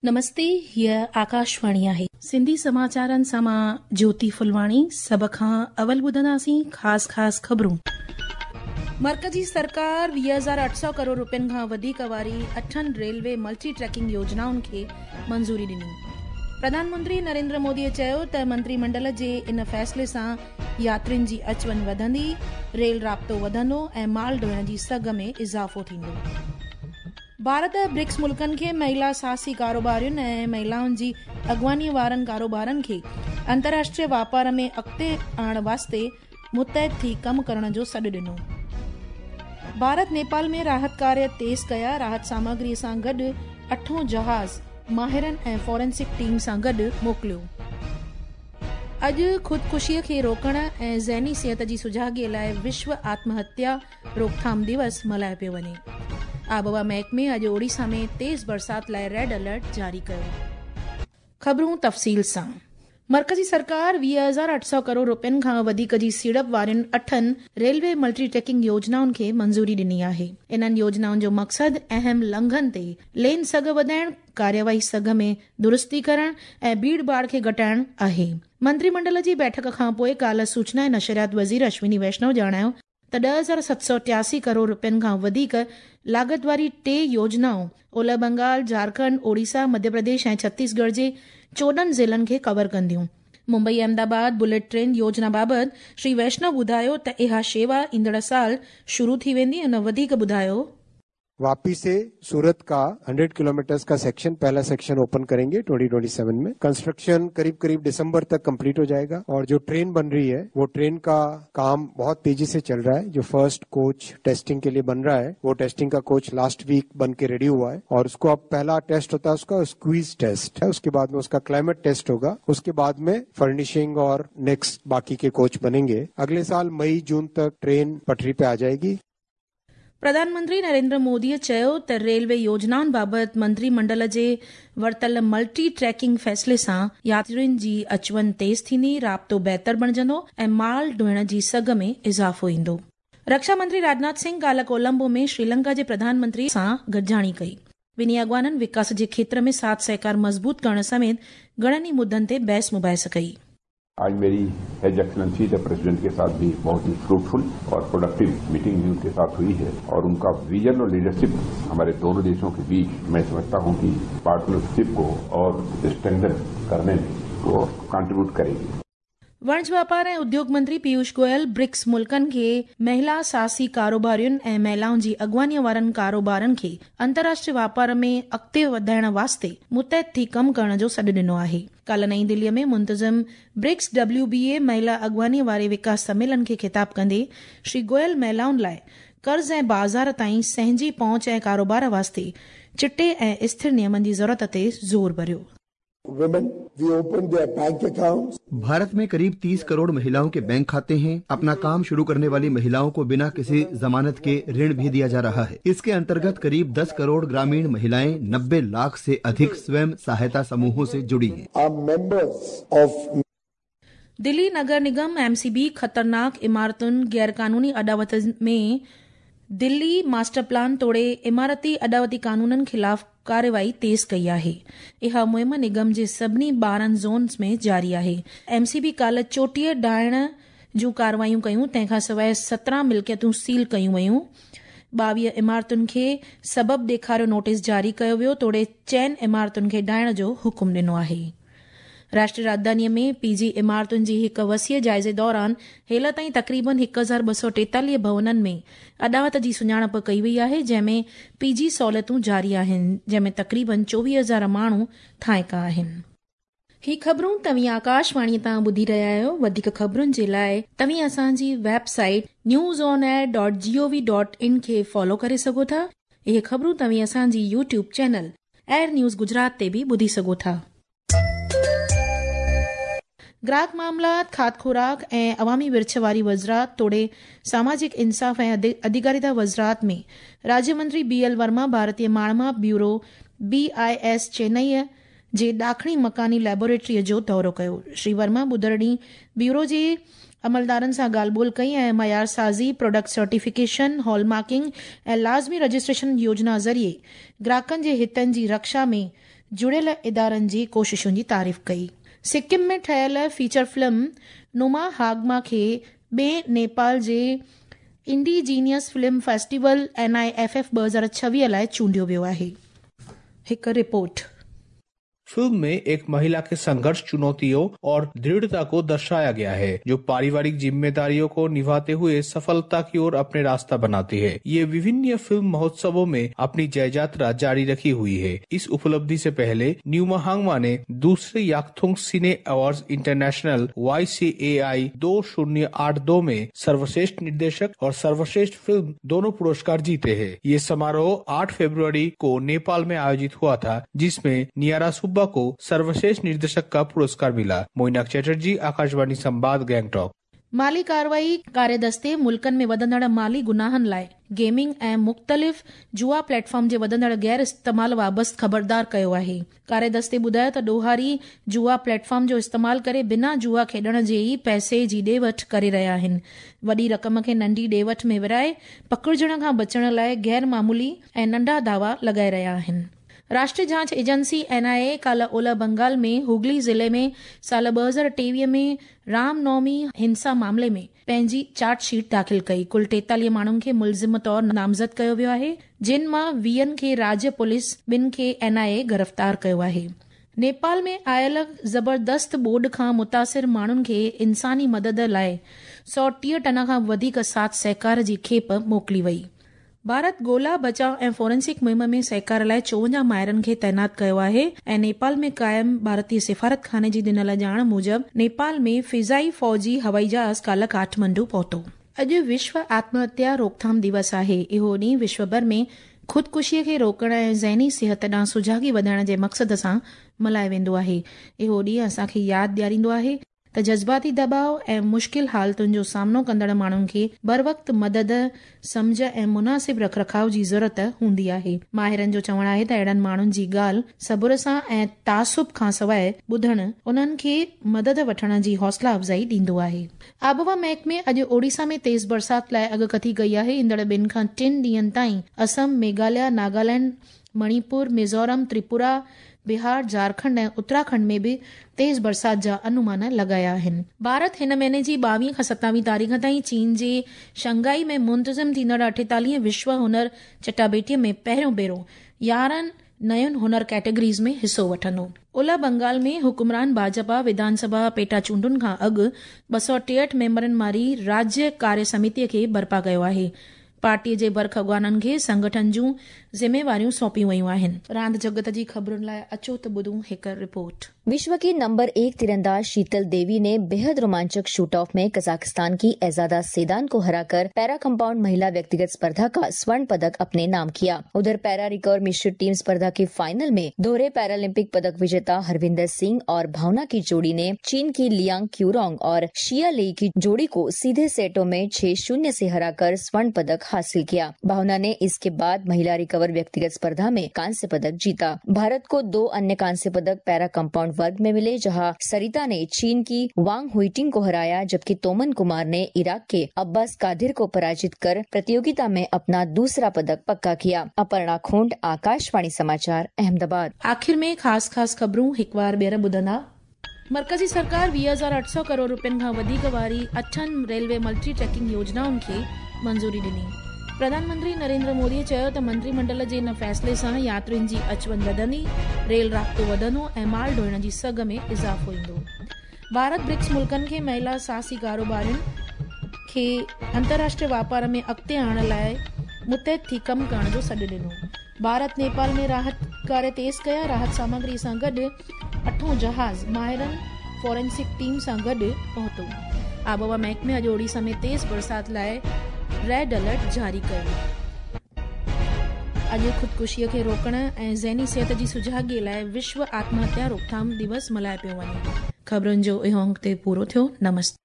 نمستي هيء آڪاشواڻي آهي. سنڌي سماچارن سان مان جوتي ڦلواڻي سڀ کان اول ٻڌنداسين خاص خاص خبرون. مرڪزي سرڪار 20,800 ڪروڙ روپين کان وڌيڪ واري اٺن ريلوي ملٽي ٽريڪنگ يوجنائن کي منظوري ڏني. پرڌان منتري نريندر مودي چيو ته منتري منڊل جي ان فيصلي سان ياترين جي اچ وڃ وڌندي، ريل رابطو وڌندو ۽ مال ڍوئڻ جي سگهه ۾ اضافو ٿيندو. ڀارت برڪس ملڪن کي مهلا ساهسي ڪاروبارين ۽ مهلائن جي اڳواڻي وارن ڪاروبارن کي انترراشٽريه واپار ۾ اڳتي آڻڻ واسطي متحد ٿي ڪم ڪرڻ جو سڏ ڏنو. ڀارت نيپال ۾ راحت ڪاريه تيز ڪيا، راحت سامگري سان گڏ اٺون جهاز ماهرن ۽ فورينسڪ ٽيم سان گڏ موڪليو. اڄ خودڪشيء کي روڪڻ ۽ ذهني صحت جي سجاڳي لاء وشو آتم هتيا روڪٿام ديوس ملهايو پيو وڃي. آبهوا محڪمي اڄ اوڙيسا ۾ تيز برسات لاء ريڊ الرٽ جاري ڪيو. خبرون تفصيل سان مرڪزي سرڪار 20,800 ڪروڙ روپين کان وڌيڪ جي سيڙپ وارين اٺن ريلوي ملٽي ٽريڪنگ يوجنائن کي منظوري ڏني آهي. انهن يوجنائن جو مقصد اهم لنگهن تي لين سگهه وڌائڻ، ڪارروائي سگهه ۾ درستي ڪرڻ ۽ ڀيڙ ڀاڙ کي گهٽائڻ آهي. منتري منڊل جي بيٺڪ کانپوء ڪالهه سوچنا ۽ نشريات وزير اشوني ويشنو ڄاڻايو ته 10,783 ڪروڙ روپين کان وڌيڪ لاڳت واري ٽي يوجنائون اولهه بنگال، جهارکنڊ، اوڙيسا، مڌيه پرديش ۽ ڇتيس ڳڙهه جي 14 ضلعن کي ڪور ڪنديون. ممبئي احمد آباد بليٽ ٽرين يوجنا بابت شري ويشنو ٻڌايو ته اها شيوا ايندڙ سال شروع ٿي ويندي هن وڌيڪ ٻڌايو. वापी से सूरत का 100 किलोमीटर्स का सेक्शन पहला सेक्शन ओपन करेंगे 2027 में। कंस्ट्रक्शन करीब करीब दिसंबर तक कंप्लीट हो जाएगा और जो ट्रेन बन रही है वो ट्रेन का काम बहुत तेजी से चल रहा है। जो फर्स्ट कोच टेस्टिंग के लिए बन रहा है वो टेस्टिंग का कोच लास्ट वीक बन के रेडी हुआ है और उसको अब पहला टेस्ट होता है उसका स्क्वीज टेस्ट है, उसके बाद में उसका क्लाइमेट टेस्ट होगा, उसके बाद में फर्निशिंग और नेक्स्ट बाकी के कोच बनेंगे। अगले साल मई जून तक ट्रेन पटरी पे आ जाएगी। प्रधान मंत्री नरेंद्र मोदीअ चयो त रेलवे योजनाउनि बाबति मंत्री मंडल जे वरितल मल्टी ट्रैकिंग फ़ैसिले सां यात्रियुनि जी अच वञ तेज़ थींदी, राब्तो बहितर बणिजंदो ऐं माल ढोइण जी सघ में इज़ाफ़ो ईंदो। रक्षा मंत्री राजनाथ सिंह काल्ह कोलंबो में श्रीलंका जे प्रधानमंत्री सां गॾिजाणी कई। ॿिन्ही अॻवाननि विकास जे क्षेत्र में साथ सहकार मज़बूत करण समेत घणनि ई मुद्दनि ते बहस मुबाहिस कई। आज मेरी his excellency the president के साथ भी बहुत ही फ्रूटफुल और प्रोडक्टिव मीटिंग भी उनके साथ हुई है और उनका विजन और लीडरशिप हमारे दोनों देशों के बीच मैं समझता हूं कि पार्टनरशिप को और स्ट्रेंथन करने में वो कंट्रीब्यूट करेगी। वणज वापार ऐं उद्योग मंत्री पीयूष गोयल ब्रिक्स मुल्कनि खे महिला साहसी कारोबारियुनि ऐं महिलाउनि जी अॻवानीअ वारनि कारोबारनि खे अंतर्राष्ट्रीय वापार में अॻिते वधाइण वास्ते मुतहद थी कमु करण जो सॾु ॾिनो आहे। काल्ह नई दिल्लीअ में मुंतज़िम ब्रिक्स डब्ल्यू बी ए महिला अॻवानीअ वारे विकास सम्मेलन खे ख़िताब कंदे श्री गोयल महिलाउनि लाइ कर्ज़ ऐं बाज़ार ताईं सहंजी पहुंच ऐं कारोबार वास्ते चिटे ऐं स्थिर नियमनि जी ज़रूरत ते ज़ोर भरियो। Women, we opened their bank accounts. Bharat में करीब 30 करोड़ महिलाओं के बैंक खाते हैं। अपना काम शुरू करने वाली महिलाओं को बिना किसी जमानत के ऋण भी दिया जा रहा है। इसके अंतर्गत करीब 10 करोड़ ग्रामीण महिलाएं 90 लाख से अधिक स्वयं सहायता समूहों से जुड़ी हैं। Are members of Delhi Nagar Nigam MCB ख़तरनाक इमारतुनि गैरकानूनी अॾावतनि में दिल्ली मास्टर प्लान तोड़े इमारती अॾावती कानूननि ख़िलाफ़ कार्रवाई तेज़ कई आहे। इहा मुहिम निगम जे सभिनी 12 ज़ोन्स में जारी आहे। एमसीबी काल्ह 34 ढाहिण जूं कार्रवाइयूं कयूं, तंहिंखां सवाइ 17 मिल्कियतूं सील कयूं वयूं। 22 इमारतुनि खे सबब ॾेखारियो नोटिस जारी कयो वियो, तोड़े 4 इमारतुनि खे ढाहिण जो हुकुम ॾिनो आहे। राष्ट्रीय राजधानीअ में पीजी इमारतुनि जी हिकु वसीअ जाइज़े दौरान हेल ताईं तक़रीबन 1243 भवननि में अॾावत जी सुञाणप कई वई आहे, जंहिंमें पीजी सहूलियतूं जारी आहिनि, जंहिंमें तक़रीबन 24,000 माण्हू थाइका आहिनि। ही ख़बरूं तव्हीं आकाशवाणीअ तां ॿुधी रहिया आहियो। वधीक ख़बरुनि जे लाइ तव्हीं असांजी वेबसाइट newsonair.gov.in खे फॉलो करे सघो था। इहे ख़बरूं तव्हीं असांजी YouTube channel air news Gujarat ते बि ॿुधी सघो था। ग्राहक मामलात, खाद खुराक ऐं अवामी विर्छ वारी वज़ारत तोड़े सामाजिक इंसाफ़ ऐं अधिकारिता वज़ारत में राज्य मंत्री बी एल वर्मा भारतीय माणमाप ब्यूरो BIS चेन्नईअ जे ॾाखणी मकानी लैबोरेटरीअ जो दौरो कयो। श्री वर्मा ॿुधर ॾींहुं ब्यूरो जे अमलदारनि सां ॻाल्हि ॿोल कई ऐं मयार साज़ी, प्रोडक्ट सर्टिफिकेशन, हॉलमार्किंग ऐं लाज़मी रजिस्ट्रेशन योजना ज़रिए ग्राहकनि जे हितनि जी रक्षा में जुड़ियल इदारनि जी कोशिशुनि जी तारीफ़ कई। सिक्किम में ठहियल फीचर फिल्म नुमा हागमा खे ॿिए नेपाल जे इंडिजीनियस फिल्म फेस्टिवल NIFF 2026 लाइ चूंडियो वियो आहे। हिकु रिपोर्ट। फिल्म में एक महिला के संघर्ष, चुनौतियों और दृढ़ता को दर्शाया गया है, जो पारिवारिक जिम्मेदारियों को निभाते हुए सफलता की ओर अपने रास्ता बनाती है। ये विभिन्न फिल्म महोत्सवों में अपनी जययात्रा जारी रखी हुई है। इस उपलब्धि से पहले न्यूमा हांगमा ने दूसरे याकथोंग सिने अवार्ड्स इंटरनेशनल YCAI 2082 में सर्वश्रेष्ठ निर्देशक और सर्वश्रेष्ठ फिल्म दोनों पुरस्कार जीते हैं। ये समारोह 8 फरवरी को नेपाल में आयोजित हुआ था, जिसमें नियारा सुब्बा को सर्वश्रेष्ठ निर्देशक का पुरस्कार मिला। मोइनाक चैटर्जी, आकाशवाणी संवाद, गैंगटॉक। माली कार्रवाई कार्यदस्ते मुल्कनि में वधंदड़ माली गुनाहनि लाइ गेमिंग ऐं मुख़्तलिफ़ जुआ प्लेटफॉर्म जे वधंदड़ गैर इस्तेमाल बाबति ख़बरदार कयो आहे। कार्यदस्ते ॿुधायो त ॾोहारी जुआ प्लेटफॉर्म जो इस्तेमाल करे बिना जुआ खेॾण जे ई पैसे जी ॾे वठि करे रहिया आहिनि। वॾी रक़म खे नंढी ॾे वठि में विराए पकड़िजण खां बचण लाइ गैर मामूली ऐं नंढा दावा लॻाए रहिया आहिनि। राष्ट्रीय जांच एजेंसी NIA काल्ह ओलह बंगाल में हुगली ज़िले में साल 2023 में रामनवमी हिंसा मामले में पंहिंजी चार्जशीट दाख़िल कई। कुल 43 माण्हुनि खे मुलज़िम तौर नामज़द कयो वियो आहे, जिन मां 20 खे राज्य पुलिस, 2 खे NIA गिरफ़्तार कयो आहे। नेपाल में आयल ज़बरदस्त ॿोॾ खां मुतासिर माण्हुनि खे इंसानी मदद लाइ 130 टन खां वधीक साथ सहकार जी खेप मोकिली वई। भारत ॻोल्हा, बचाव ऐं फॉरेंसिक मुहिम में सहकार लाइ 54 माहिरनि खे तैनात कयो आहे ऐं नेपाल में क़ाइम भारतीय सिफारत खाने जी ॾिनल ॼाण मूजिबि नेपाल में फ़िज़ाई फ़ौजी हवाई जहाज़ काल्ह काठमांडू पहुतो। अॼु विश्व आत्महत्या रोकथाम दिवस आहे। इहो ॾींहुं विश्व भर में ख़ुदकुशीअ खे रोकण ऐं ज़हनी सिहत ॾांहुं सुजागी वधाइण जे मक़सद सां मल्हायो वेंदो आहे। इहो ॾींहुं असांखे यादि ॾियारींदो आहे त जज़्बाती दबाव ऐं मुश्किल हालतुनि जो सामनो कंदड़ माण्हुनि खे बरवक़्त मदद, सम्झ ऐं मुनासिब रखरखाव जी ज़रूरत हूंदी आहे। माहिरनि जो चवणु आहे त अहिड़नि माण्हुनि जी ॻाल्हि सबुर सां ऐं तासुब खां सवाइ ॿुधण उन्हनि खे मदद वठण जी हौसला अफ़ज़ाई ॾींदो आहे। आबहवा महकमे अॼु ओडिशा में तेज़ बरसात लाइ अॻकथी कई आहे। ईंदड़ 2 खां 3 ॾींहंनि ताईं असम, मेघालय, नागालैंड, मणिपुर, मिज़ोरम, त्रिपुरा, बिहार, झारखंड ऐं उत्तराखंड में बि तेज़ बरसात जा अनुमान लॻाया आहिनि। भारत हिन महीने जी 22 खां 27 तारीख़ ताईं चीन जे शंघाई में मुंतज़िम थींदड़ 48 विश्व हुनर चटाबेटीअ में पहिरियों भेरो 11 नयुनि हुनर कैटेगरीज़ में हिसो वठंदो। ओलह बंगाल में हुकुमरान भाजपा विधानसभा पेटा चूंडुनि खां अॻु 263 मेंबरनि वारी राज्य कार्य समितीअ खे बर्पा कयो आहे। पार्टीअ जे बर्ख अॻवाननि खे संगठन जूं ज़िम्मेवारियूं सौंपियूं वयूं आहिनि। रांदि जगत जी ख़बरुनि लाइ अचो त ॿुधूं हिकु रिपोर्ट। विश्व की नंबर 1 तीरंदाज शीतल देवी ने बेहद रोमांचक शूट ऑफ में कजाकिस्तान की एजादा सेदान को हराकर पैरा कंपाउंड महिला व्यक्तिगत स्पर्धा का स्वर्ण पदक अपने नाम किया। उधर पैरा रिकर्व मिश्रित टीम स्पर्धा के फाइनल में दोहरे पैरालंपिक पदक विजेता हरविंदर सिंह और भावना की जोड़ी ने चीन की लियांग क्यूरोंग और शिया लेई की जोड़ी को सीधे सेटों में 6-0 से हराकर स्वर्ण पदक हासिल किया। भावना ने इसके बाद महिला रिकवर व्यक्तिगत स्पर्धा में कांस्य पदक जीता। भारत को 2 अन्य कांस्य पदक पैरा कंपाउंड वर्ग में मिले, जहां सरिता ने चीन की वांग हुइटिंग को हराया, जबकि तोमन कुमार ने इराक के अब्बास कादिर को पराजित कर प्रतियोगिता में अपना दूसरा पदक पक्का किया। अपर्णा खोंड, आकाशवाणी समाचार, अहमदाबाद। आख़िर में ख़ासि ख़ासि ख़बरूं हिकु वार ॿीहर ॿुधंदा। मर्कज़ी सरकार 20,800 करोड़ रुपयनि खां वधीक वारी 8 रेलवे मल्टी ट्रैकिंग योजनाउनि खे मंज़ूरी ॾिनी। प्रधानमंत्री नरेंद्र मोदी चयो त मंत्रिमंडल जे इन फ़ैसिले सां यात्रियुनि जी अच वञ वधंदी, रेल राब्तो वधंदो ऐं माल ढोइण जी सघ में इज़ाफ़ो ईंदो। भारत ब्रिक्स मुल्कनि खे महिला साहसी कारोबारियुनि खे अंतर्राष्ट्रीय वापार में अॻिते आणण लाइ मुतहद थी कमु करण जो सॾु ॾिनो। भारत नेपाल में राहत कार्य तेज़ कया, राहत सामग्री सां गॾु 8 जहाज़ माहिरनि फॉरेंसिक टीम सां गॾु पहुतो। आबहवा महकमे अॼु ओडिशा में तेज़ बरसात लाइ रेड अलर्ट जारी कयो। अॼु ख़ुदकुशीअ खे रोकण ऐं ज़हनी सिहत जी सुजागीअ लाइ विश्व आत्महत्या रोकथाम दिवस मल्हायो पियो वञे। ख़बरुनि जो इहो अंक ते पूरो थियो। नमस्ते।